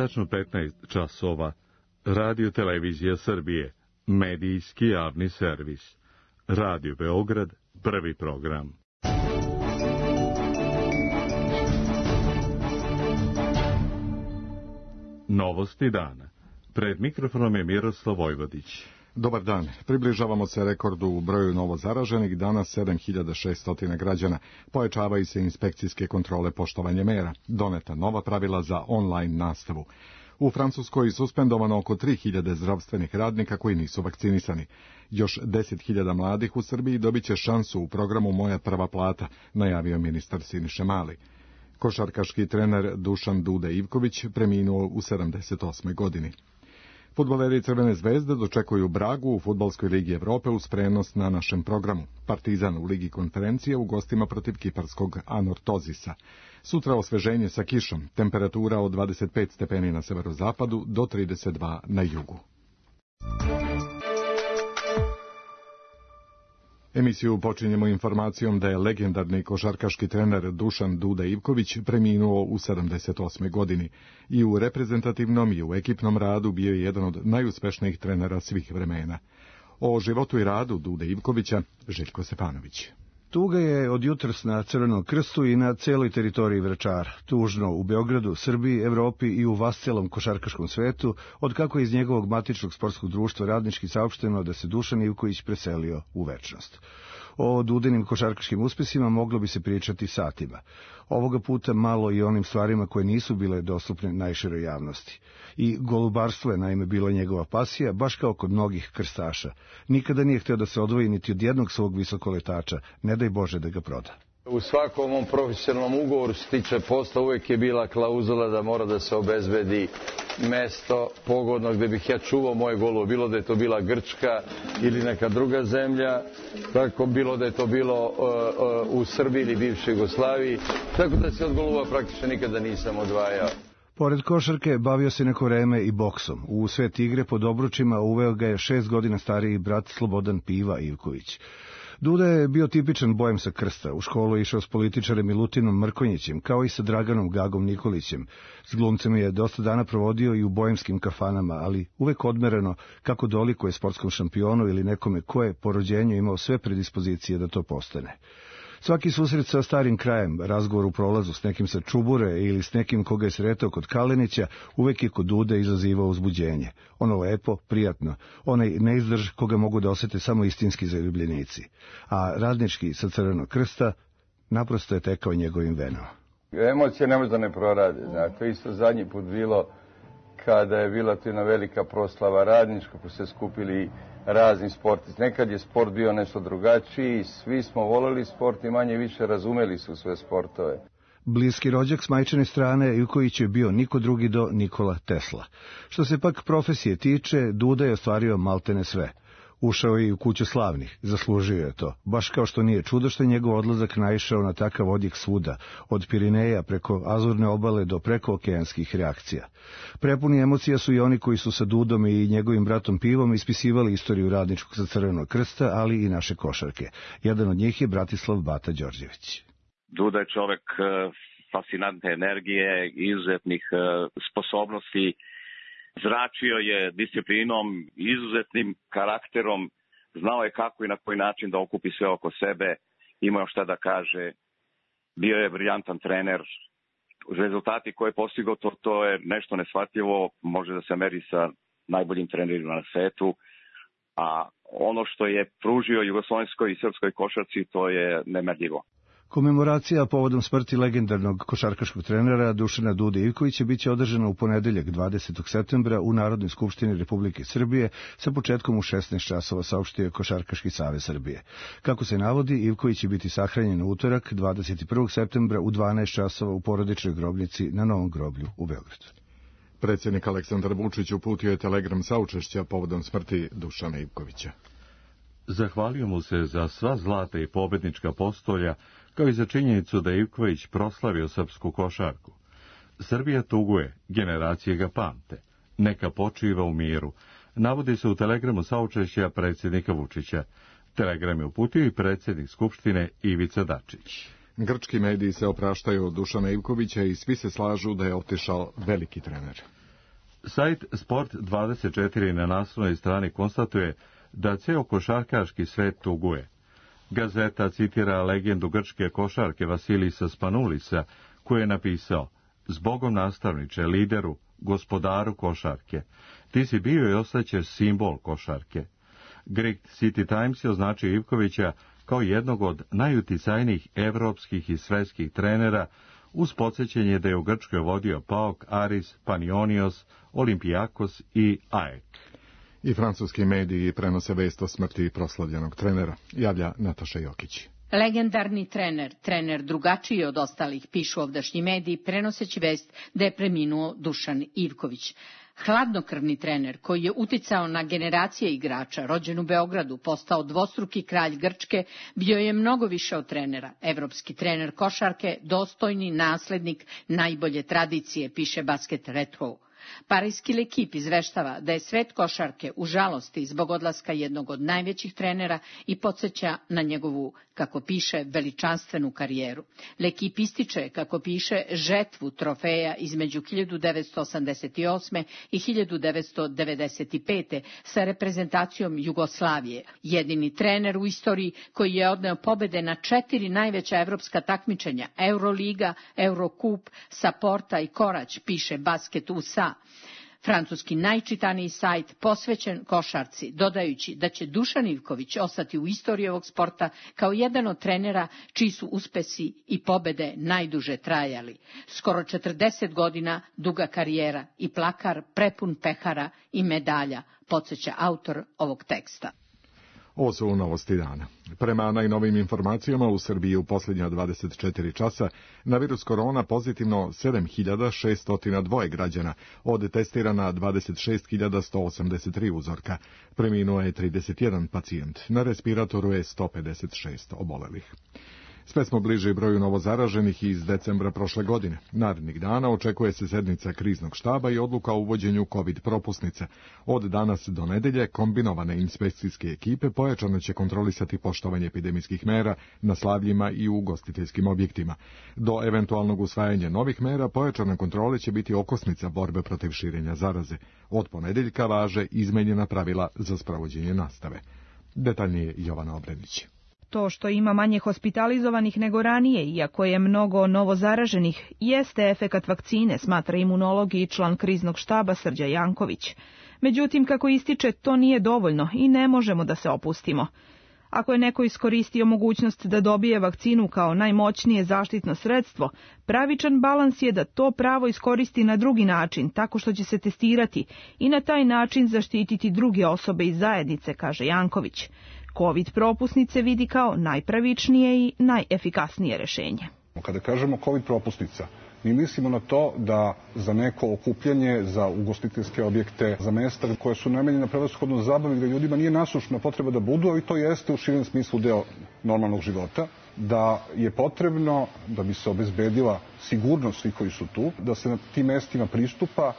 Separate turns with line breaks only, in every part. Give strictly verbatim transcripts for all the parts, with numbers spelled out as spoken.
tačno petnaest časova, Radio Televizija Srbije, medijski javni servis. Radio Beograd, prvi program. Novosti dana. Pred mikrofonom je Miroslav Vojvodić.
Dobar dan. Približavamo se rekordu u broju novo zaraženih, danas sedam hiljada šesto građana. Pojačavaju se inspekcijske kontrole poštovanja mera. Doneta nova pravila za online nastavu. U Francuskoj je suspendovano oko tri hiljade zdravstvenih radnika koji nisu vakcinisani. Još deset hiljada mladih u Srbiji dobit će šansu u programu Moja prva plata, najavio ministar Siniša Mali. Košarkaški trener Dušan Duda Ivković preminuo u sedamdeset osmoj godini. Fudbaleri Crvene zvezde dočekuju Bragu u Fudbalskoj ligi Evrope uz prenos na našem programu. Partizan u Ligi konferencije u gostima protiv kiparskog Anortozisa. Sutra osveženje sa kišom, temperatura od dvadeset pet stepeni na severozapadu do trideset dva na jugu. Emisiju počinjemo informacijom da je legendarni košarkaški trener Dušan Duda Ivković preminuo u sedamdeset osmoj godini. I u reprezentativnom i u ekipnom radu bio je jedan od najuspešnijih trenera svih vremena. O životu i radu Dude Ivkovića, Željko Stepanović.
Tuga je od jutros na Crvenom krstu i na celoj teritoriji Vračara. Tužno u Beogradu, Srbiji, Evropi i u vascelom košarkaškom svetu, od kako je iz njegovog matičnog sportskog društva radnički saopšteno da se Dušan Ivković preselio u večnost. O Dudinim košarkaškim uspesima moglo bi se pričati satima. Ovoga puta malo i onim stvarima koje nisu bile dostupne najširoj javnosti. I golubarstvo je naime bila njegova pasija, baš kao kod mnogih krstaša. Nikada nije hteo da se odvoji niti od jednog svog visokoletača, ne daj Bože da ga proda.
U svakom ovom profesionalnom ugovoru što se tiče posla uvek je bila klauzula da mora da se obezbedi mesto pogodno gde bih ja čuvao moje golove, bilo da je to bila Grčka ili neka druga zemlja, tako bilo da je to bilo uh, uh, u Srbiji ili bivšoj Jugoslaviji, tako da se od golova praktično nikada nisam odvajao.
Pored košarke bavio se neko vreme i boksom. U svet igre pod obručima uveo ga je šest godina stariji brat Slobodan Piva Ivković. Duda je bio tipičan bojem sa krsta. U školu je išao s političarem Milutinom Mrkonjićem, kao i sa Draganom Gagom Nikolićem. S glumcem je dosta dana provodio i u bojemskim kafanama, ali uvek odmereno kako dolikuje sportskom šampionu ili nekome ko je po rođenju imao sve predispozicije da to postane. Svaki susret sa starim krajem, razgovor u prolazu s nekim sa Čubure ili s nekim koga je sretao kod Kalenića, uvek je kod Dude izazivao uzbuđenje. Ono lepo, prijatno, onaj neizdrž koga mogu da osete samo istinski zaljubljenici. A radnički sa Crvenog krsta naprosto je tekao njegovim venama.
Emocije ne može da ne prorade. Znate, isto zadnji put bilo kada je bila tu jedna velika proslava radnička, ko se skupili razni sportisti. Nekad je sport bio nešto drugačiji, svi smo voleli sport i manje više razumeli su sve sportove.
Bliski rođak s majčine strane Ivković je bio niko drugi do Nikola Tesla. Što se pak profesije tiče, Duda je ostvario maltene sve. Ušao je i u kuću slavnih, zaslužio je to, baš kao što nije čudo što je njegov odlazak naišao na takav odjek svuda, od Pirineja preko Azurne obale do prekookeanskih reakcija. Prepuni emocija su i oni koji su sa Dudom i njegovim bratom Pivom ispisivali istoriju radničkog sa Crvenog krsta, ali i naše košarke. Jedan od njih je Bratislav Bata Đorđević.
Duda je čovek fascinantne energije, izuzetnih sposobnosti. Zračio je disciplinom, izuzetnim karakterom, znao je kako i na koji način da okupi sve oko sebe, imao šta da kaže, bio je briljantan trener. Rezultati koje je postigao, to, to je nešto neshvatljivo, može da se meri sa najboljim trenerima na svetu, a ono što je pružio jugoslovenskoj i srpskoj košarci, to je nemerljivo.
Komemoracija povodom smrti legendarnog košarkaškog trenera Dušana Dude Ivkovića biće održana u ponedeljak dvadesetog septembra u Narodnoj skupštini Republike Srbije sa početkom u šesnaest časova, saopštio je Košarkaški savez Srbije. Kako se navodi, Ivković će biti sahranjen u utorak dvadeset prvog septembra u dvanaest časova u porodičnoj grobnici na Novom groblju u Beogradu.
Predsjednik Aleksandar Vučić uputio je telegram saučešća povodom smrti Dušana Ivkovića.
Zahvalio mu se za sva zlata i pobednička postolja, kao i za činjenicu da je Ivković proslavio srpsku košarku. Srbija tuguje, generacije ga pamte. Neka počiva u miru, navodi se u telegramu saučešća predsjednika Vučića. Telegram je uputio i predsjednik Skupštine Ivica Dačić.
Grčki mediji se opraštaju od Dušana Ivkovića i svi se slažu da je otišao veliki trener.
Sajt Sport dvadeset četiri na naslovnoj strani konstatuje da ceo košarkaški svet tuguje. Gazeta citira legendu grčke košarke Vasilisa Spanulisa, koji je napisao: "Zbogom nastavniče, lideru, gospodaru košarke, ti si bio i ostaćeš simbol košarke." Greek City Times je označio Ivkovića kao jednog od najuticajnijih evropskih i svetskih trenera, uz podsjećanje da je u Grčkoj vodio PAOK, Aris, Panionios, Olimpijakos i A E K.
I francuski mediji prenose vest o smrti proslavljenog trenera, javlja Nataša Jokić.
Legendarni trener, trener drugačiji od ostalih, pišu ovdašnji mediji, prenoseći vest da je preminuo Dušan Ivković. Hladnokrvni trener koji je uticao na generacije igrača, rođen u Beogradu, postao dvostruki kralj Grčke, bio je mnogo više od trenera. Evropski trener košarke, dostojni naslednik najbolje tradicije, piše Basket Retro. Parijski L'Equipe izveštava da je svet košarke u žalosti zbog odlaska jednog od najvećih trenera i podsjeća na njegovu, kako piše, veličanstvenu karijeru. L'Equipe ističe, kako piše, žetvu trofeja između hiljadu devetsto osamdeset osme i hiljadu devetsto devedeset pete sa reprezentacijom Jugoslavije. Jedini trener u istoriji koji je odneo pobede na četiri najveća evropska takmičenja, Euroliga, Eurokup, Saporta i Korać, piše Basket U S A. Francuski najčitaniji sajt posvećen košarci, dodajući da će Dušan Ivković ostati u istoriji ovog sporta kao jedan od trenera čiji su uspesi i pobede najduže trajali. Skoro četrdeset godina duga karijera i plakar prepun pehara i medalja, podsjeća autor ovog teksta.
Ovo su novosti dana. Prema najnovim informacijama u Srbiji u posljednja dvadeset četiri časa na virus korona pozitivno sedam hiljada šesto dva građana, od testirana dvadeset šest hiljada sto osamdeset tri uzorka. Preminuo je trideset jedan pacijent, na respiratoru je sto pedeset šest obolelih. Sve smo bliži broju novozaraženih iz decembra prošle godine. Narednih dana očekuje se sednica kriznog štaba i odluka o uvođenju COVID propusnice. Od danas do nedelje kombinovane inspekcijske ekipe pojačano će kontrolisati poštovanje epidemijskih mera na slavljima i u ugostiteljskim objektima. Do eventualnog usvajanja novih mera pojačane kontrole će biti okosnica borbe protiv širenja zaraze. Od ponedeljka važe izmenjena pravila za sprovođenje nastave. Detaljnije Jovana Obrenić.
To što ima manje hospitalizovanih nego ranije, iako je mnogo novozaraženih, jeste efekat vakcine, smatra imunolog i član kriznog štaba Srđa Janković. Međutim, kako ističe, to nije dovoljno i ne možemo da se opustimo. Ako je neko iskoristio mogućnost da dobije vakcinu kao najmoćnije zaštitno sredstvo, pravičan balans je da to pravo iskoristi na drugi način, tako što će se testirati i na taj način zaštititi druge osobe iz zajednice, kaže Janković. COVID propusnice vidi kao najpravičnije i najefikasnije rešenje.
Kada kažemo COVID propusnica, mi mislimo na to da za neko okupljanje, za ugostiteljske objekte, za mesta koje su namenjene prevashodno zabavi, gde ljudima nije nasušna potreba da budu, ali to jeste u širem smislu deo normalnog života, da je potrebno, da bi se obezbedila sigurnost svih koji su tu, da se na tim mestima pristupa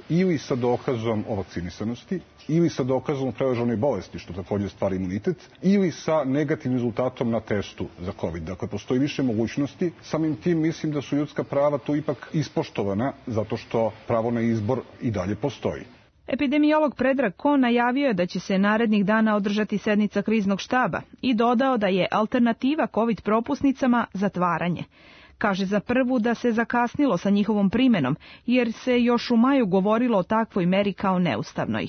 ili sa dokazom o vakcinisanosti, ili sa dokazom o preležanoj bolesti, što također stvara imunitet, ili sa negativnim rezultatom na testu za COVID. Dakle, postoji više mogućnosti. Samim tim mislim da su ljudska prava tu ipak ispoštovana, zato što pravo na izbor i dalje postoji.
Epidemiolog Predrag Ko najavio je da će se narednih dana održati sednica kriznog štaba i dodao da je alternativa COVID propusnicama zatvaranje. Kaže za prvu da se zakasnilo sa njihovom primenom, jer se još u maju govorilo o takvoj meri kao neustavnoj.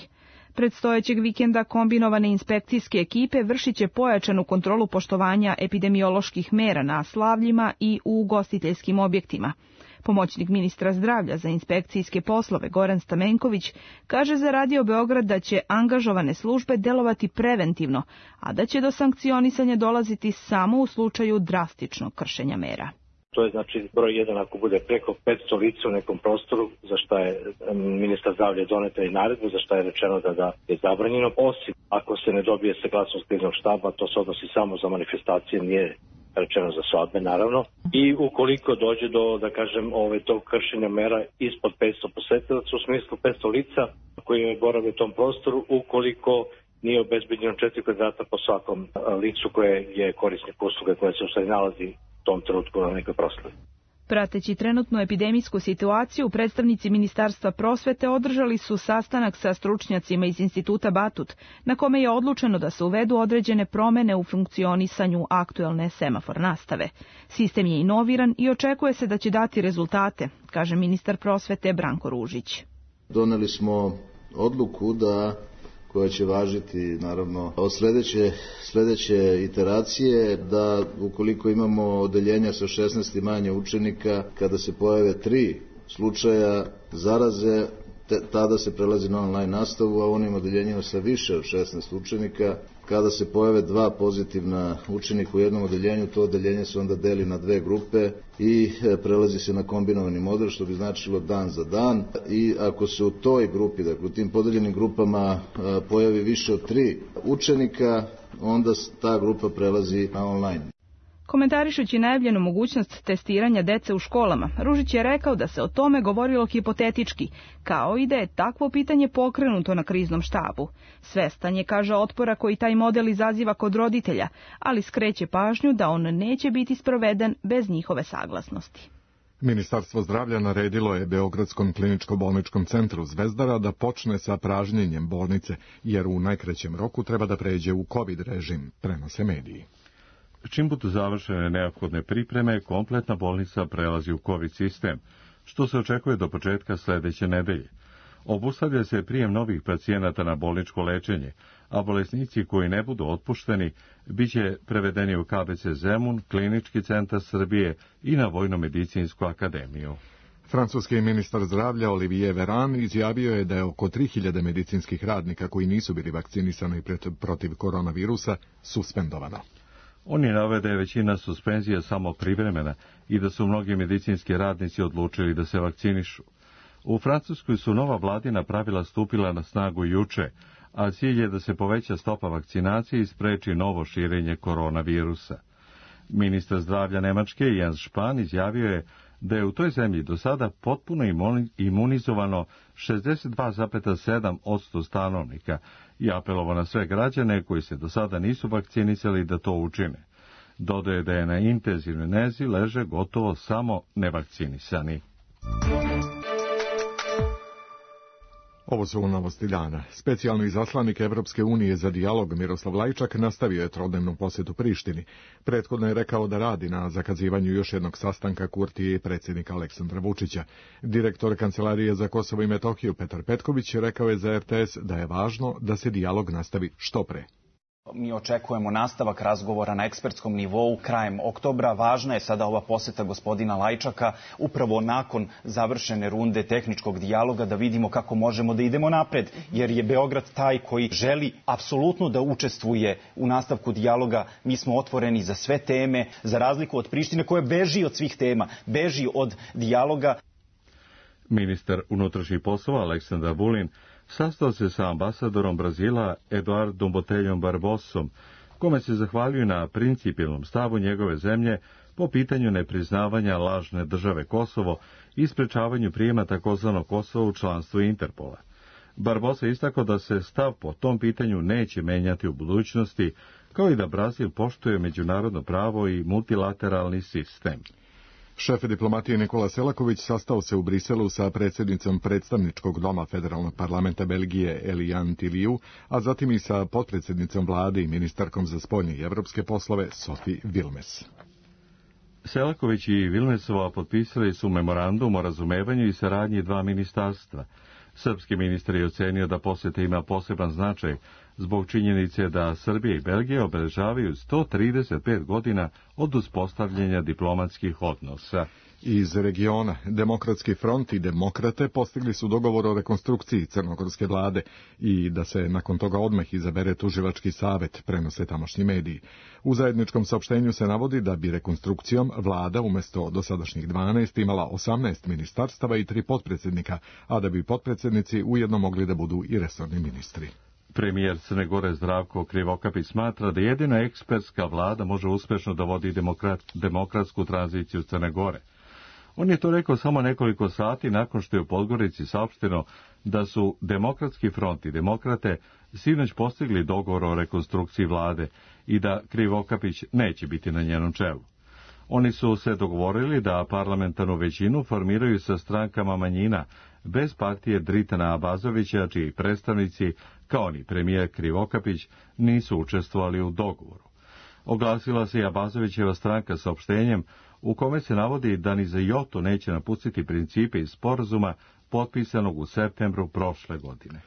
Predstojećeg vikenda kombinovane inspekcijske ekipe vršit će pojačanu kontrolu poštovanja epidemioloških mera na slavljima i u ugostiteljskim objektima. Pomoćnik ministra zdravlja za inspekcijske poslove Goran Stamenković kaže za Radio Beograd da će angažovane službe delovati preventivno, a da će do sankcionisanja dolaziti samo u slučaju drastičnog kršenja mera.
To je znači broj jedan ako bude preko petsto lica u nekom prostoru, za šta je ministar zdravlja doneta i naredbu, za šta je rečeno da, da je zabranjeno, osim ako se ne dobije saglasnost kriznog štaba, to se odnosi samo za manifestacije, nije rečeno za svadbe naravno. I ukoliko dođe do, da kažem, ove, tog kršenja mera ispod petsto posetilaca, u smislu petsto lica koji je borave u tom prostoru, ukoliko nije obezbeđeno četiri kvadrata po svakom licu koje je korisnik usluge koja se u stvari nalazi u tom trenutku na nekoj proslavi.
Prateći trenutnu epidemijsku situaciju, predstavnici Ministarstva prosvete održali su sastanak sa stručnjacima iz Instituta Batut, na kome je odlučeno da se uvedu određene promene u funkcionisanju aktuelne semafor nastave. Sistem je inoviran i očekuje se da će dati rezultate, kaže ministar prosvete Branko Ružić.
Doneli smo odluku da koja će važiti naravno od sledeće, sledeće iteracije, da ukoliko imamo odeljenja sa šesnaest i manje učenika, kada se pojave tri slučaja zaraze, te, tada se prelazi na online nastavu, a onim odeljenjima sa više od šesnaest učenika, kada se pojave dva pozitivna učenika u jednom odeljenju, to odeljenje se onda deli na dve grupe i prelazi se na kombinovani model, što bi značilo dan za dan. I ako se u toj grupi, dakle u tim podeljenim grupama pojavi više od tri učenika, onda ta grupa prelazi na online.
Komentarišući najavljenu mogućnost testiranja dece u školama, Ružić je rekao da se o tome govorilo hipotetički, kao i da je takvo pitanje pokrenuto na kriznom štabu. Svestan je, kaže, otpora koji taj model izaziva kod roditelja, ali skreće pažnju da on neće biti sproveden bez njihove saglasnosti.
Ministarstvo zdravlja naredilo je Beogradskom kliničko-bolničkom centru Zvezdara da počne sa pražnjenjem bolnice, jer u najkraćem roku treba da pređe u COVID režim, prenose mediji.
Čim budu završene neophodne pripreme, kompletna bolnica prelazi u COVID sistem, što se očekuje do početka sledeće nedelje. Obustavlja se prijem novih pacijenata na bolničko lečenje, a bolesnici koji ne budu otpušteni biće prevedeni u K B C Zemun, Klinički centar Srbije i na Vojno-medicinsku akademiju.
Francuski ministar zdravlja Olivier Véran izjavio je da je oko tri hiljade medicinskih radnika koji nisu bili vakcinisani protiv koronavirusa suspendovano.
On je naveo da je većina suspenzija samo privremena i da su mnogi medicinski radnici odlučili da se vakcinišu. U Francuskoj su nova vladina pravila stupila na snagu juče, a cilj je da se poveća stopa vakcinacije i spreči novo širenje koronavirusa. Ministar zdravlja Nemačke Jens Spahn izjavio je da je u toj zemlji do sada potpuno imunizovano šezdeset dva zarez sedam posto stanovnika i apelovao na sve građane koji se do sada nisu vakcinisali da to učine. Dodaje da je na intenzivnoj nezi leže gotovo samo nevakcinisani.
Ovo su novosti dana. Specijalni izaslanik Evropske unije za dijalog Miroslav Lajčak nastavio je trodnevnu posjetu Prištini. Prethodno je rekao da radi na zakazivanju još jednog sastanka Kurtije i predsjednika Aleksandra Vučića. Direktor Kancelarije za Kosovo i Metohiju Petar Petković rekao je za R T S da je važno da se dijalog nastavi što pre.
Mi očekujemo nastavak razgovora na ekspertskom nivou krajem oktobra. Važna je sada ova poseta gospodina Lajčaka, upravo nakon završene runde tehničkog dijaloga, da vidimo kako možemo da idemo napred, jer je Beograd taj koji želi apsolutno da učestvuje u nastavku dijaloga. Mi smo otvoreni za sve teme, za razliku od Prištine koja beži od svih tema, beži od dijaloga.
Ministar unutrašnjih poslova Aleksandar Vulin sastao se sa ambasadorom Brazila Eduardom Boteljom Barbosom, kome se zahvaljuju na principijelnom stavu njegove zemlje po pitanju nepriznavanja lažne države Kosovo i sprečavanju prijema takozvanog Kosova u članstvo Interpola. Barbosa istakao da se stav po tom pitanju neće menjati u budućnosti, kao i da Brazil poštuje međunarodno pravo i multilateralni sistem.
Šef diplomatije Nikola Selaković sastao se u Briselu sa predsjednicom predstavničkog doma Federalnog parlamenta Belgije Eliane Tilliou, a zatim i sa potpredsjednicom vlade i ministarkom za spoljne i evropske poslove Sophie Wilmes.
Selaković i Vilmesova potpisali su memorandum o razumevanju i saradnji dva ministarstva. Srpski ministar je ocenio da posjeta ima poseban značaj zbog činjenice da Srbija i Belgija obeležavaju sto trideset pet godina od uspostavljanja diplomatskih odnosa.
Iz regiona Demokratski front i Demokrate postigli su dogovor o rekonstrukciji crnogorske vlade i da se nakon toga odmah izabere tužilački savet, prenose tamošnji mediji. U zajedničkom saopštenju se navodi da bi rekonstrukcijom vlada umjesto dosadašnjih dvanaest imala osamnaest ministarstava i tri potpredsjednika, a da bi potpredsjednici ujedno mogli da budu i resorni ministri.
Premijer Crne Gore Zdravko Krivokapić smatra da jedina ekspertska vlada može uspešno da vodi demokrat, demokratsku tranziciju Crne Gore. On je to rekao samo nekoliko sati nakon što je u Podgorici saopšteno da su Demokratski front i Demokrate sinoć postigli dogovor o rekonstrukciji vlade i da Krivokapić neće biti na njenom čelu. Oni su se dogovorili da parlamentarnu većinu formiraju sa strankama manjina, bez partije Dritana Abazovića, čiji predstavnici, kao ni premijer Krivokapić, nisu učestvovali u dogovoru. Oglasila se i Abazovićeva stranka saopštenjem u kome se navodi da ni za jotu neće napustiti principe iz sporazuma potpisanog u septembru prošle godine.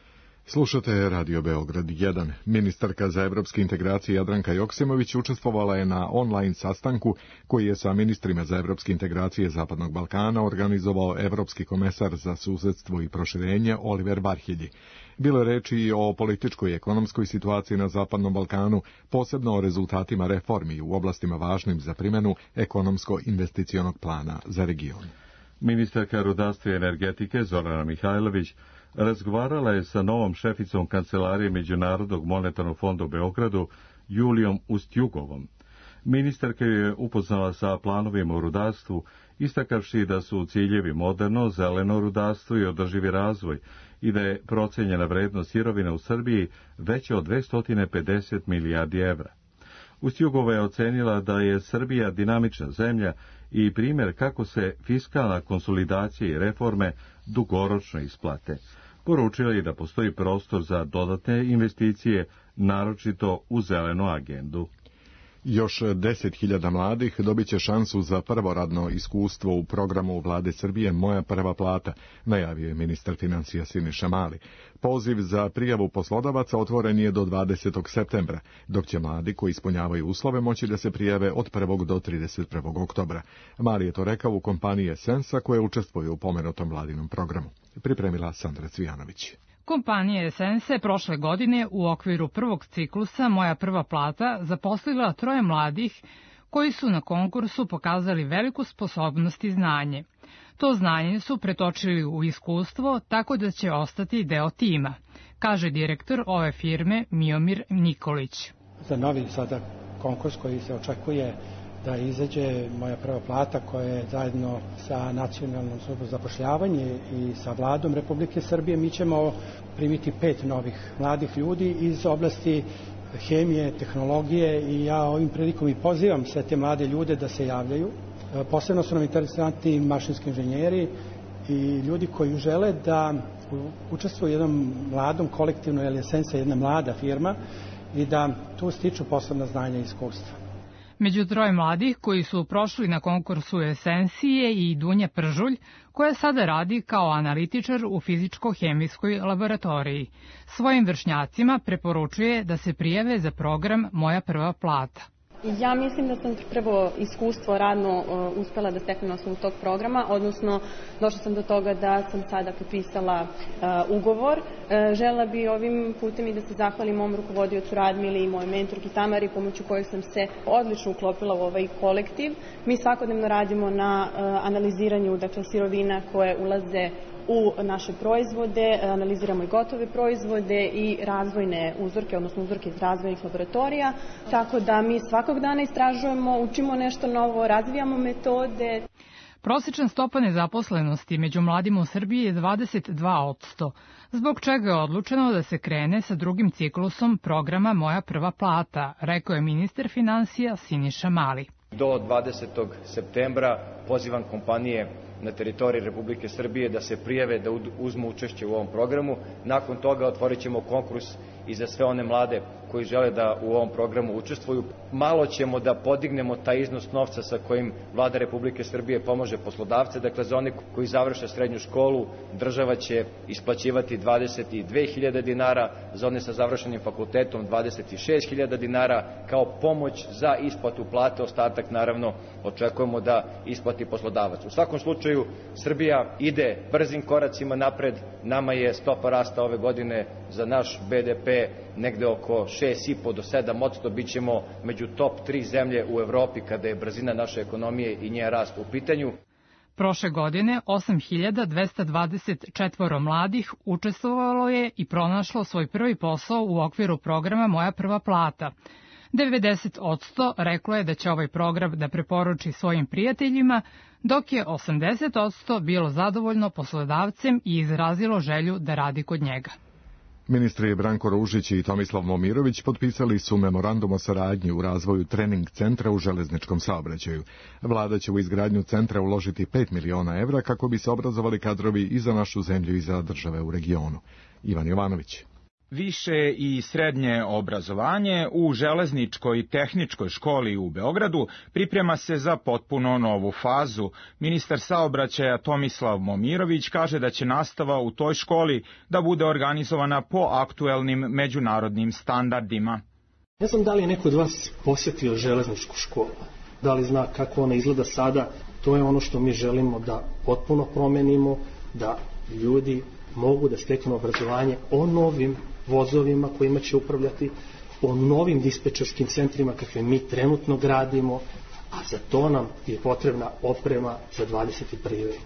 Slušate Radio Beograd jedan. Ministarka za evropske integracije Jadranka Joksimović učestvovala je na online sastanku koji je sa ministrima za evropske integracije Zapadnog Balkana organizovao Evropski komesar za susedstvo i proširenje Oliver Varhelji. Bilo je reči i o političkoj i ekonomskoj situaciji na Zapadnom Balkanu, posebno o rezultatima reformi u oblastima važnim za primjenu ekonomsko-investicionog plana za region.
Ministarka rudarstva i energetike Zorana Mihajlović razgovarala je sa novom šeficom Kancelarije Međunarodnog monetarnog fonda u Beogradu, Julijom Ustjugovom. Ministarka je upoznala sa planovima u rudarstvu, istakavši da su ciljevi moderno, zeleno rudarstvo i održivi razvoj i da je procenjena vrednost sirovina u Srbiji veća od dvesta pedeset milijardi evra. Ustjugova je ocenila da je Srbija dinamična zemlja i primjer kako se fiskalna konsolidacija i reforme dugoročno isplate. Poručila je da postoji prostor za dodatne investicije, naročito u zelenu agendu.
Još deset hiljada mladih dobit će šansu za prvo radno iskustvo u programu Vlade Srbije Moja prva plata, najavio je ministar financija Siniša Mali. Poziv za prijavu poslodavaca otvoren je do dvadesetog septembra, dok će mladi koji ispunjavaju uslove moći da se prijave od prvog do trideset prvog oktobra. Mali je to rekao u kompaniji Esensa koja učestvuje u pomenutom vladinom programu. Pripremila Sandra Cvijanović.
Kompanija Esense prošle godine u okviru prvog ciklusa Moja prva plata zaposlila troje mladih koji su na konkursu pokazali veliku sposobnost i znanje. To znanje su pretočili u iskustvo tako da će ostati deo tima, kaže direktor ove firme Miomir Nikolić.
Za novi sada konkurs koji se očekuje da izađe Moja prva plata koja je zajedno sa Nacionalnom službom za zapošljavanje i sa Vladom Republike Srbije, mi ćemo primiti pet novih mladih ljudi iz oblasti hemije, tehnologije i ja ovim prilikom i pozivam sve te mlade ljude da se javljaju. Posebno su nam interesantni mašinski inženjeri i ljudi koji žele da učestvuju u jednom mladom kolektivnom, jer je Esensa jedna mlada firma i da tu stiču posebna znanja i iskustva.
Među troje mladih koji su prošli na konkursu Esensije i Dunja Pržulj, koja sada radi kao analitičar u fizičko-hemijskoj laboratoriji. Svojim vršnjacima preporučuje da se prijave za program Moja prva plata.
Ja mislim da sam prvo iskustvo radno uh, uspela da steknem na osnovu tog programa, odnosno došla sam do toga da sam sada potpisala uh, ugovor. Uh, žela bi ovim putem i da se zahvalim mom rukovodiocu Radmili i mojoj mentorki Tamari, pomoću kojeg sam se odlično uklopila u ovaj kolektiv. Mi svakodnevno radimo na uh, analiziranju dakle, sirovina koje ulaze u naše proizvode, analiziramo i gotove proizvode i razvojne uzorke, odnosno uzorke iz razvojnih laboratorija, tako da mi svakog dana istražujemo, učimo nešto novo, razvijamo metode.
Prosječna stopa nezaposlenosti među mladima u Srbiji je dvadeset dva posto, zbog čega je odlučeno da se krene sa drugim ciklusom programa Moja prva plata, rekao je ministar finansija Siniša Mali.
Do dvadesetog septembra pozivam kompanije na teritoriji Republike Srbije da se prijave, da uzmu učešće u ovom programu. Nakon toga otvorit ćemo konkurs i za sve one mlade koji žele da u ovom programu učestvuju. Malo ćemo da podignemo taj iznos novca sa kojim Vlada Republike Srbije pomaže poslodavce. Dakle, za one koji završe srednju školu, država će isplaćivati dvadeset dve hiljade dinara, za one sa završenim fakultetom dvadeset šest hiljada dinara kao pomoć za isplatu plate. Ostatak, naravno, očekujemo da isplati poslodavac. U svakom slučaju, Srbija ide brzim koracima napred. Nama je stopa rasta ove godine za naš be de pe negde oko šest i po do sedam posto, bit ćemo među top tri zemlje u Evropi kada je brzina naše ekonomije i njen rast u pitanju.
Prošle godine osam hiljada dvesta dvadeset četvoro mladih učestvovalo je i pronašlo svoj prvi posao u okviru programa Moja prva plata. devedeset posto reklo je da će ovaj program da preporuči svojim prijateljima, dok je osamdeset posto bilo zadovoljno poslodavcem i izrazilo želju da radi kod njega.
Ministri Branko Ružić i Tomislav Momirović potpisali su memorandum o saradnji u razvoju trening centra u železničkom saobraćaju. Vlada će u izgradnju centra uložiti pet miliona evra kako bi se obrazovali kadrovi i za našu zemlju i za države u regionu. Ivan Jovanović.
Više i srednje obrazovanje u Železničkoj tehničkoj školi u Beogradu priprema se za potpuno novu fazu. Ministar saobraćaja Tomislav Momirović kaže da će nastava u toj školi da bude organizovana po aktuelnim međunarodnim standardima.
Ne znam da li je neko od vas posjetio železničku školu, da li zna kako ona izgleda sada. To je ono što mi želimo da potpuno promenimo, da ljudi mogu da steknu obrazovanje o novim vozovima kojima će upravljati, o novim dispečerskim centrima kakve mi trenutno gradimo, a za to nam je potrebna oprema za dvadeset prvi vek.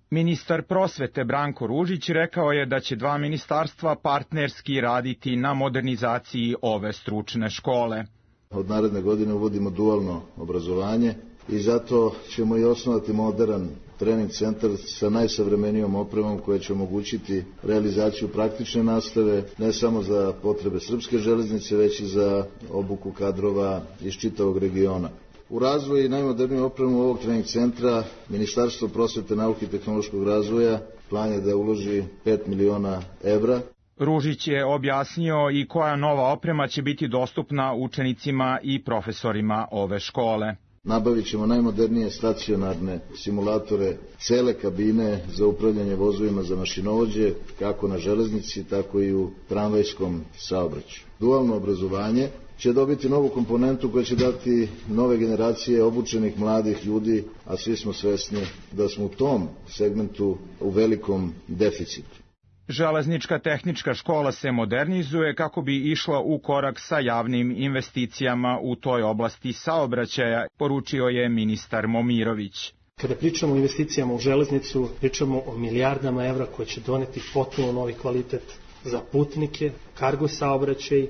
Ministar prosvete Branko Ružić rekao je da će dva ministarstva partnerski raditi na modernizaciji ove stručne škole.
Od naredne godine uvodimo dualno obrazovanje i zato ćemo i osnovati modern trening centar sa najsavremenijom opremom koja će omogućiti realizaciju praktične nastave ne samo za potrebe srpske železnice, već i za obuku kadrova iz čitavog regiona. U razvoju i najmoderniju opremu ovog trening centra Ministarstvo prosvete, nauke i tehnološkog razvoja plan je da uloži pet miliona evra.
Ružić je objasnio i koja nova oprema će biti dostupna učenicima i profesorima ove škole.
Nabavit ćemo najmodernije stacionarne simulatore, cele kabine za upravljanje vozovima za mašinovođe, kako na železnici, tako i u tramvajskom saobraćaju. Dualno obrazovanje će dobiti novu komponentu koja će dati nove generacije obučenih mladih ljudi, a svi smo svesni da smo u tom segmentu u velikom deficitu.
Železnička tehnička škola se modernizuje kako bi išla u korak sa javnim investicijama u toj oblasti saobraćaja, poručio je ministar Momirović.
Kada pričamo o investicijama u železnicu, pričamo o milijardama evra koje će doneti potpuno novi kvalitet za putnike, kargo saobraćaj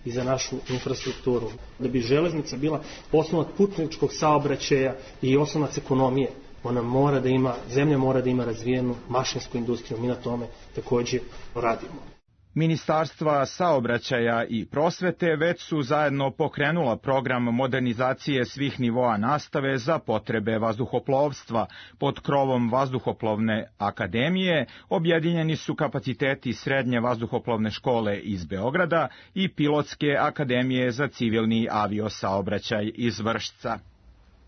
i za našu infrastrukturu. Da bi železnica bila oslonac putničkog saobraćaja i oslonac ekonomije, ona mora da ima, zemlja mora da ima razvijenu mašinsku industriju, mi na tome također radimo.
Ministarstva saobraćaja i prosvete već su zajedno pokrenula program modernizacije svih nivoa nastave za potrebe vazduhoplovstva. Pod krovom Vazduhoplovne akademije objedinjeni su kapaciteti Srednje vazduhoplovne škole iz Beograda i Pilotske akademije za civilni aviosaobraćaj iz Vršca.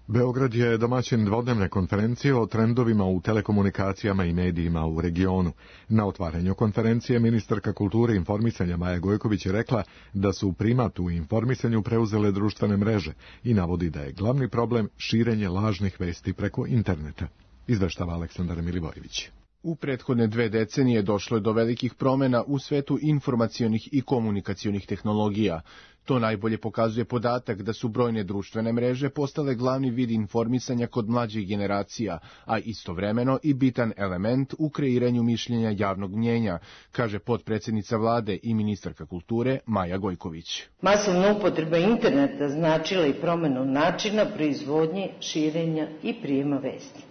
Beograd je domaćin dvodnevne konferencije o trendovima u telekomunikacijama i medijima u regionu. Na otvaranju konferencije ministarka kulture i informisanja Maja Gojković je rekla da su primat u informisanju preuzele društvene mreže i navodi da je glavni problem širenje lažnih vesti preko interneta. Izveštava Aleksandar Milivojević.
U prethodne dve decenije došlo je do velikih promjena u svetu informacionih i komunikacionih tehnologija. To najbolje pokazuje podatak da su brojne društvene mreže postale glavni vid informisanja kod mlađih generacija, a istovremeno i bitan element u kreiranju mišljenja javnog mnjenja, kaže potpredsjednica vlade i ministarka kulture Maja Gojković.
Masovna upotreba interneta značila i promjenu načina proizvodnje, širenja i prijema vesti.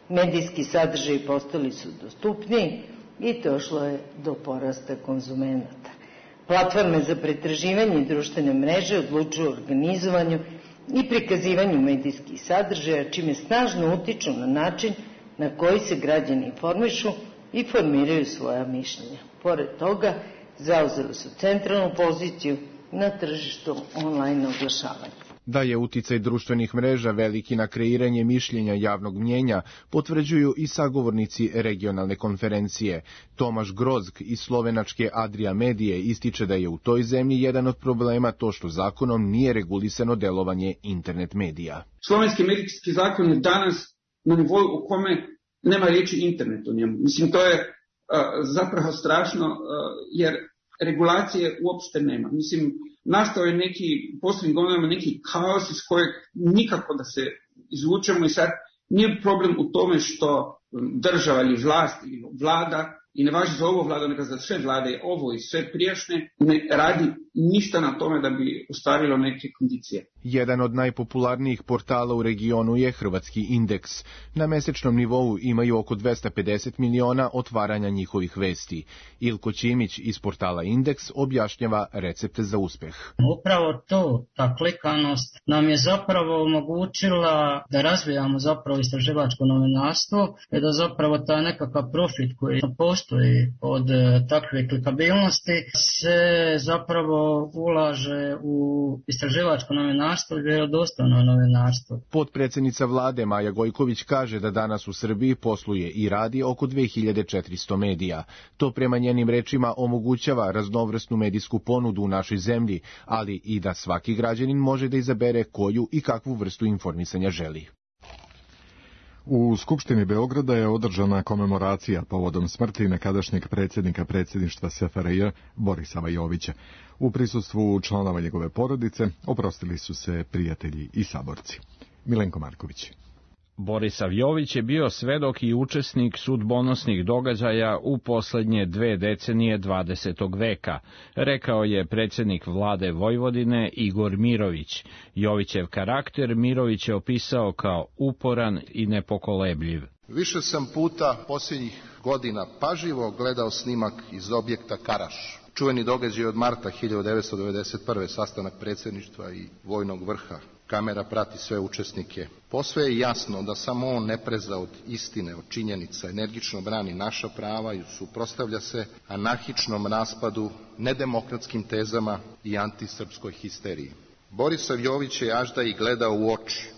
Medijski sadržaji postali su dostupniji i došlo je do porasta konzumenata. Platforme za pretraživanje i društvene mreže odlučuju o organizovanju i prikazivanju medijskih sadržaja, čime snažno utiču na način na koji se građani informišu i formiraju svoja mišljenja. Pored toga, zauzeli su centralnu poziciju na tržištu online oglašavanja.
Da je uticaj društvenih mreža veliki na kreiranje mišljenja javnog mnjenja, potvrđuju i sagovornici regionalne konferencije. Tomaš Grozg iz slovenačke Adria Medije ističe da je u toj zemlji jedan od problema to što zakonom nije regulisano delovanje internet medija.
Slovenski medijski zakon je danas na nivou u kome nema riječi internet u njemu. Mislim, to je uh, zapravo strašno uh, jer regulacije uopšte nema. Mislim, nastao je neki, posljednjim godinama neki kaos iz kojeg nikako da se izvučemo i sad nije problem u tome što država ili vlast ili vlada i ne važi za ovo vladu, nego za sve vlade, ovo i sve prijašnje, ne radi ništa na tome da bi ostvarilo neke kondicije.
Jedan od najpopularnijih portala u regionu je Hrvatski indeks. Na mesečnom nivou imaju oko dvesta pedeset miliona otvaranja njihovih vesti. Ilko Ćimić iz portala Indeks objašnjava recepte za uspeh.
Upravo to, ta klikanost nam je zapravo omogućila da razvijamo zapravo istraživačko novinarstvo i da zapravo ta nekakav profit koji postoji od takve klikabilnosti se zapravo ulaže u istraživačko novinarstvo i vjerodostojno novinarstvo.
Potpredsjednica vlade Maja Gojković kaže da danas u Srbiji posluje i radi oko dve hiljade četiristo medija. To prema njenim rečima omogućava raznovrsnu medijsku ponudu u našoj zemlji, ali i da svaki građanin može da izabere koju i kakvu vrstu informisanja želi.
U Skupštini Beograda je održana komemoracija povodom smrti nekadašnjeg predsjednika predsjedništva S F R J Borisa Jovića. U prisustvu članova njegove porodice oprostili su se prijatelji i saborci. Milenko Marković.
Borisav Jović je bio svedok i učesnik sudbonosnih događaja u poslednje dve decenije dvadesetog veka, rekao je predsjednik vlade Vojvodine Igor Mirović. Jovićev karakter Mirović je opisao kao uporan i nepokolebljiv.
Više sam puta posljednjih godina pažljivo gledao snimak iz objekta Karaš. Čuveni događaj od marta hiljadu devetsto devedeset prve. sastanak predsjedništva i vojnog vrha. Kamera prati sve učesnike. Posve je jasno da samo on ne preza od istine, od činjenica, energično brani naša prava i suprotstavlja se anarhičnom raspadu, nedemokratskim tezama i antisrpskoj histeriji. Borisav Jović je ažda i gledao u oči.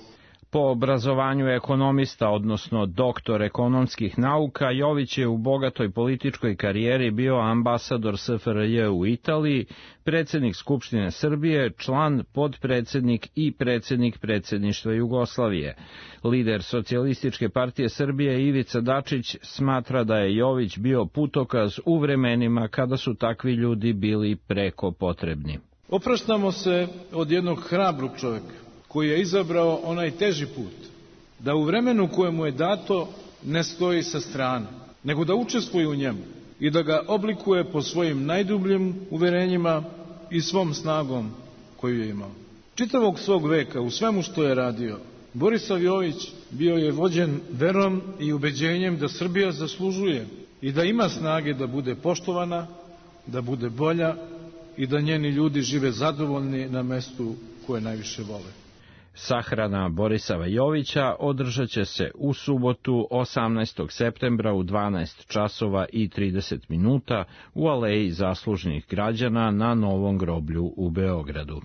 Po obrazovanju ekonomista, odnosno doktor ekonomskih nauka, Jović je u bogatoj političkoj karijeri bio ambasador S F R J u Italiji, predsjednik Skupštine Srbije, član, podpredsjednik i predsjednik predsjedništva Jugoslavije. Lider Socijalističke partije Srbije Ivica Dačić smatra da je Jović bio putokaz u vremenima kada su takvi ljudi bili preko potrebni.
Opraštamo se od jednog hrabrog čovjeka koji je izabrao onaj teži put, da u vremenu koje mu je dato ne stoji sa strane, nego da učestvuje u njemu i da ga oblikuje po svojim najdubljim uverenjima i svom snagom koju je imao. Čitavog svog veka, u svemu što je radio, Borisav Jović bio je vođen verom i ubeđenjem da Srbija zaslužuje i da ima snage da bude poštovana, da bude bolja i da njeni ljudi žive zadovoljni na mestu koje najviše vole.
Sahrana Borisava Jovića održat će se u subotu osamnaestog septembra u dvanaest časova i trideset minuta u Aleji zaslužnih građana na Novom groblju u Beogradu.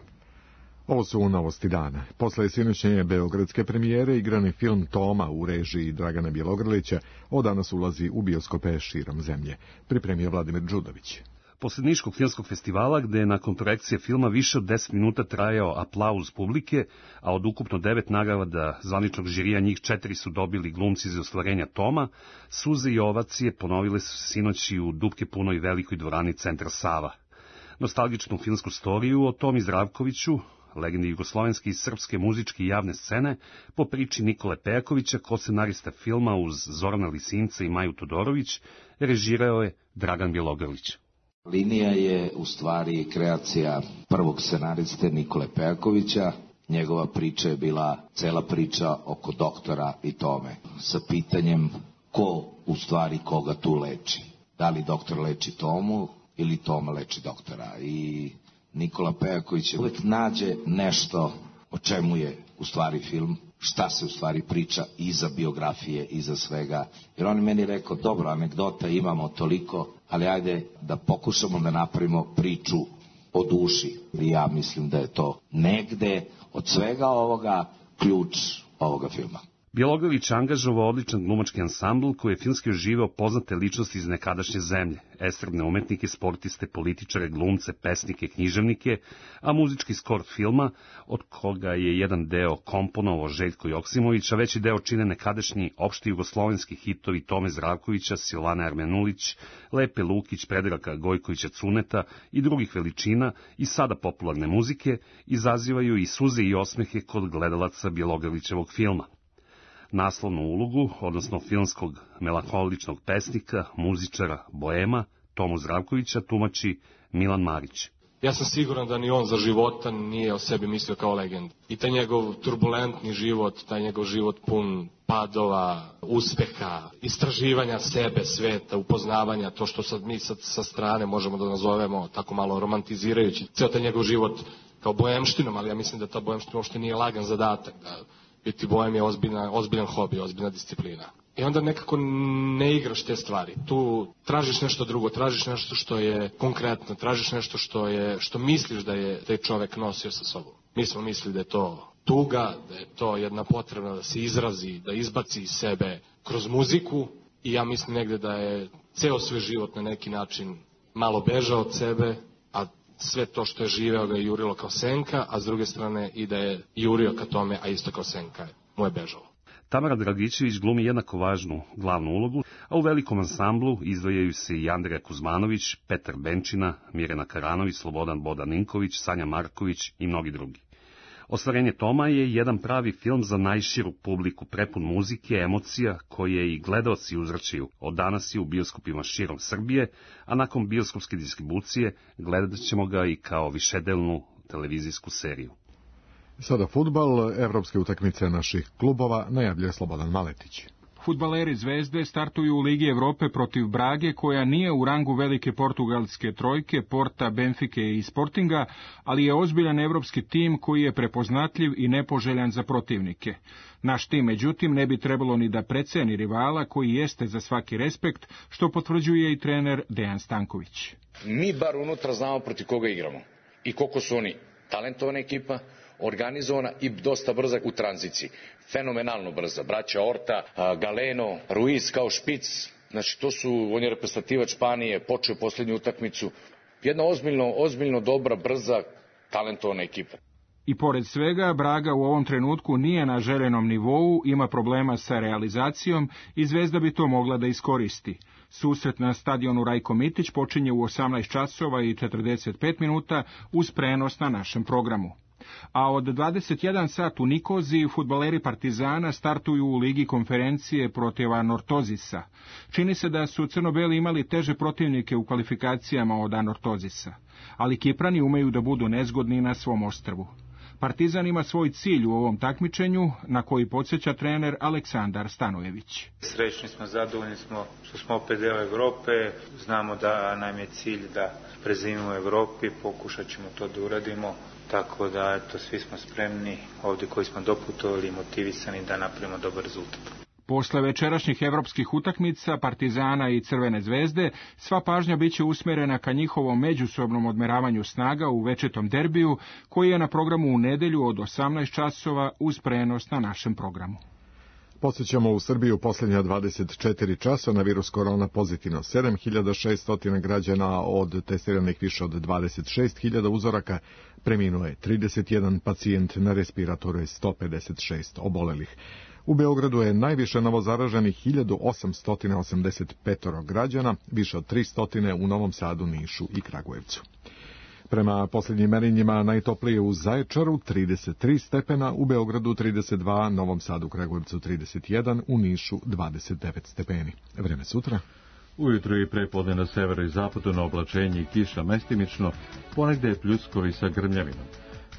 Ovo su novosti dana. Posle sinoćnje beogradske premijere igrani film Toma u režiji Dragana Bjelogrlića od danas ulazi u bioskope širom zemlje. Pripremio Vladimir Đudović.
Posle Niškog filmskog festivala, gde je nakon projekcije filma više od deset minuta trajao aplauz publike, a od ukupno devet nagrada zvaničnog žirija njih četiri su dobili glumci za ostvarenja Toma, suze i ovacije ponovile su se sinoć i u dupke punoj velikoj dvorani Centra Sava. Nostalgičnu filmsku storiju o Tomi Zdravkoviću, legendi jugoslovenske i srpske muzičke i javne scene, po priči Nikole Pejakovića, ko-scenarista filma uz Zorana Lisinca i Maju Todorović, režirao je Dragan Bjelogrlić.
Linija je u stvari kreacija prvog scenariste Nikole Pejakovića. Njegova priča je bila cela priča oko doktora i Tome, sa pitanjem ko u stvari koga tu leči. Da li doktor leči Tomu ili Toma leči doktora. I Nikola Pejaković uvek nađe nešto o čemu je u stvari film, šta se u stvari priča iza biografije, iza svega. Jer on je meni rekao, dobro, anegdota imamo toliko, ali ajde da pokušamo da napravimo priču o duši. I ja mislim da je to negde od svega ovoga ključ ovoga filma.
Bjelogrlić angažovao odličan glumački ansambl koji je filmski oživeo poznate ličnosti iz nekadašnje zemlje, estradne umetnike, sportiste, političare, glumce, pesnike, književnike, a muzički skor filma, od koga je jedan deo komponovao Željko Joksimović, a veći deo čine nekadašnji opšti jugoslovenski hitovi Tome Zdravkovića, Silvane Armenulić, Lepe Lukić, Predraga Gojkovića Cuneta i drugih veličina i sada popularne muzike, izazivaju i suze i osmehe kod gledalaca Bjelogrlićevog filma. naslovnu ulogu, odnosno filmskog melankoličnog pesnika, muzičara, boema, Tomu Zdravkovića tumači Milan Marić.
Ja sam siguran da ni on za života nije o sebi mislio kao legend. I taj njegov turbulentni život, taj njegov život pun padova, uspeha, istraživanja sebe, sveta, upoznavanja, to što sad mi sad sa strane možemo da nazovemo tako malo romantizirajući ceo taj njegov život kao boemštinom, ali ja mislim da ta boemština uopšte nije lagan zadatak, da biti boem je ozbiljna, ozbiljan hobi, ozbiljna disciplina. I onda nekako ne igraš te stvari. Tu tražiš nešto drugo, tražiš nešto što je konkretno, tražiš nešto što je što misliš da je taj čovek nosio sa sobom. Mi smo mislili da je to tuga, da je to jedna potreba da se izrazi, da izbaci iz sebe kroz muziku i ja mislim negde da je ceo svoj život na neki način malo bežao od sebe, a sve to što je živeo ga je jurilo kao senka, a s druge strane i da je jurio ka tome, a isto kao senka mu je bežalo.
Tamara Dragičević glumi jednako važnu glavnu ulogu, a u velikom ansamblu izdvajaju se i Andreja Kuzmanović, Petar Benčina, Mirjana Karanović, Slobodan Bodan Ninković, Sanja Marković i mnogi drugi. Ostvarenje Toma je jedan pravi film za najširu publiku, prepun muzike, emocija, koje i gledaoci uzračaju od danas i u bioskopima širom Srbije, a nakon bioskopske distribucije gledat ćemo ga i kao višedelnu televizijsku seriju.
Sada fudbal, evropske utakmice naših klubova, najavljuje Slobodan Maletić.
Fudbaleri Zvezde startuju u Ligi Evrope protiv Brage, koja nije u rangu velike portugalske trojke, Porta, Benfike i Sportinga, ali je ozbiljan evropski tim koji je prepoznatljiv i nepoželjan za protivnike. Naš tim, međutim, ne bi trebalo ni da preceni rivala koji jeste za svaki respekt, što potvrđuje i trener Dejan Stanković.
Mi bar unutra znamo protiv koga igramo i koliko su oni talentovana ekipa, organizovana i dosta brza u tranziciji. Fenomenalno brza. Braća Orta, Galeno, Ruiz kao špic. Znači, to su, on je reprezentativac Španije, počeo posljednju utakmicu. Jedna ozbiljno, ozbiljno dobra, brza, talentovana ekipa.
I pored svega, Braga u ovom trenutku nije na željenom nivou, ima problema sa realizacijom i Zvezda bi to mogla da iskoristi. Susret na stadionu Rajko Mitić počinje u osamnaest časova i četrdeset pet minuta uz prenos na našem programu. A od dvadeset jedan sat u Nikoziji fudbaleri Partizana startuju u Ligi konferencije protiv Anortozisa. Čini se da su crno-beli imali teže protivnike u kvalifikacijama od Anortozisa, ali Kiprani umeju da budu nezgodni na svom ostrvu. Partizan ima svoj cilj u ovom takmičenju, na koji podsjeća trener Aleksandar Stanojević.
Srećni smo, zadovoljni smo što smo opet deo Evrope, znamo da nam je cilj da prezimimo u Evropi, pokušat ćemo to da uradimo, tako da eto, svi smo spremni ovdje koji smo doputovali i motivisani da napravimo dobar rezultat.
Posle večerašnjih evropskih utakmica Partizana i Crvene zvezde, sva pažnja biće usmerena ka njihovom međusobnom odmeravanju snaga u večitom derbiju, koji je na programu u nedelju od osamnaest časova uz prenos na našem programu.
Posjećamo u Srbiju posljednja dvadeset četiri časa na virus korona pozitivno sedam hiljada šesto građana, od testiranih više od dvadeset šest hiljada uzoraka, preminuo je trideset jedan pacijent, na respiratoru je sto pedeset šest obolelih. U Beogradu je najviše novozaraženih hiljadu osamsto osamdeset pet građana, više od tristo u Novom Sadu, Nišu i Kragujevcu. Prema posljednjim merenjima najtoplije u Zaječaru trideset tri stepena, u Beogradu trideset dva, Novom Sadu, Kragujevcu trideset jedan, u Nišu dvadeset devet stepeni. Vreme sutra.
Ujutro i prepodne na severu i zapadu na oblačenje i kiša mestimično, ponegde je pljuskovi sa grmljavinom.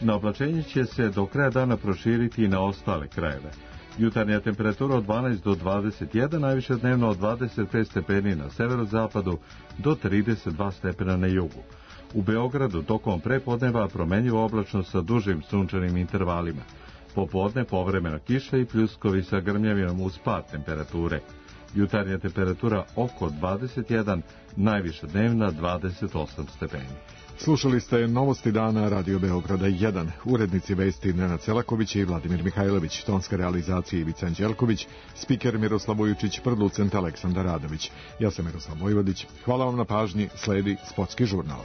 Na oblačenje će se do kraja dana proširiti i na ostale krajeve. Jutarnja temperatura od dvanaest do dvadeset jedan, najviše dnevno od dvadeset pet stepeni na severozapadu do trideset dva stepena na jugu. U Beogradu tokom prepodneva promenjivo oblačno sa dužim sunčanim intervalima. Popodne povremena kiša i pljuskovi sa grmljavinom uz pad temperature. Jutarnja temperatura oko dvadeset jedan, najviša dnevna dvadeset osam stepeni.
Slušali ste Novosti dana Radio Beograda jedan. Urednici vesti Nenad Selaković i Vladimir Mihajlović, tonska realizacija Ivica Anđelković, spiker Miroslav Vujučić, producent Aleksandar Radović. Ja sam Miroslav Vojvodić. Hvala vam na pažnji, sledi Sportski žurnal.